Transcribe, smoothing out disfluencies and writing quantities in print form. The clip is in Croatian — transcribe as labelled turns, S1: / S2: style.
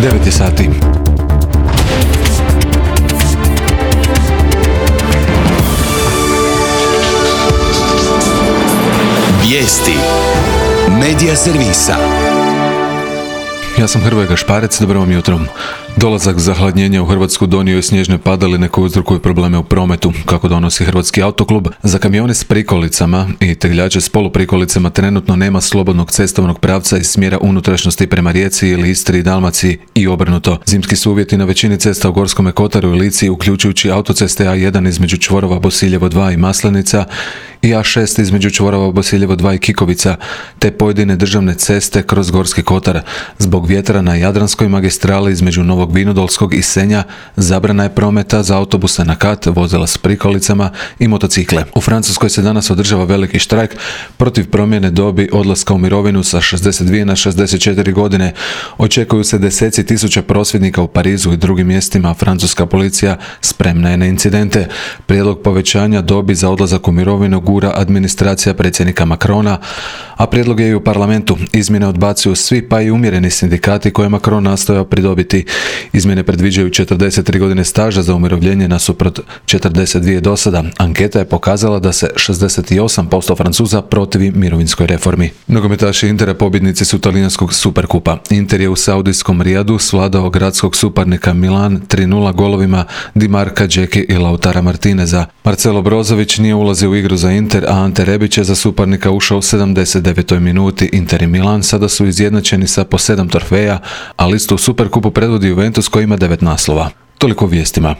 S1: 9 je sati.
S2: Vijesti Medija servisa.
S1: Ja sam Hrvoje Gašparec, dobro vam jutro. Dolazak zahladnjenja u Hrvatsku donio je snježne padaline koje uzrokuju probleme u prometu. Kako donosi Hrvatski autoklub, za kamione s prikolicama i tegljače s poluprikolicama trenutno nema slobodnog cestovnog pravca iz smjera unutrašnjosti prema Rijeci ili Istri i Dalmaciji i obrnuto. Zimski su uvjeti na većini cesta u Gorskome kotaru i Lici, uključujući autoceste A1 između čvorova Bosiljevo 2 i Maslenica i A6 između čvorova Bosiljevo 2 i Kikovica, te pojedine državne ceste kroz Gorski kotar. Zbog vjetra na Jadranskoj magistrali između Novog Vinodolskog i Senja zabrana je prometa za autobuse na kat, vozila s prikolicama i motocikle. U Francuskoj se danas održava veliki štrajk protiv promjene dobi odlaska u mirovinu sa 62 na 64 godine. Očekuju se deseci tisuća prosvjednika u Parizu i drugim mjestima, a francuska policija spremna je na incidente. Prijedlog povećanja dobi za odlazak u mirovinu gura administracija predsjednika Macrona, a prijedlog je i u parlamentu. Izmjene odbacuju svi, pa i umjereni sindikati koje Macron nastojao pridobiti. Izmjene predviđaju 43 godine staža za umirovljenje nasuprot 42 do sada. Anketa je pokazala da se 68% Francuza protivi mirovinskoj reformi. Nogometaši Intera pobjednici su talijanskog Superkupa. Inter je u saudijskom Rijadu svladao gradskog suparnika Milan 3:0 golovima Di Marka, Džeki i Lautara Martineza. Marcelo Brozović nije ulazio u igru za Inter, a Ante Rebić je za suparnika ušao u 79. minuti. Inter i Milan sada su izjednačeni sa po 7 trofeja, a listu u Superkupu predvodi Juventus koji ima 9 naslova. Toliko o vijestima.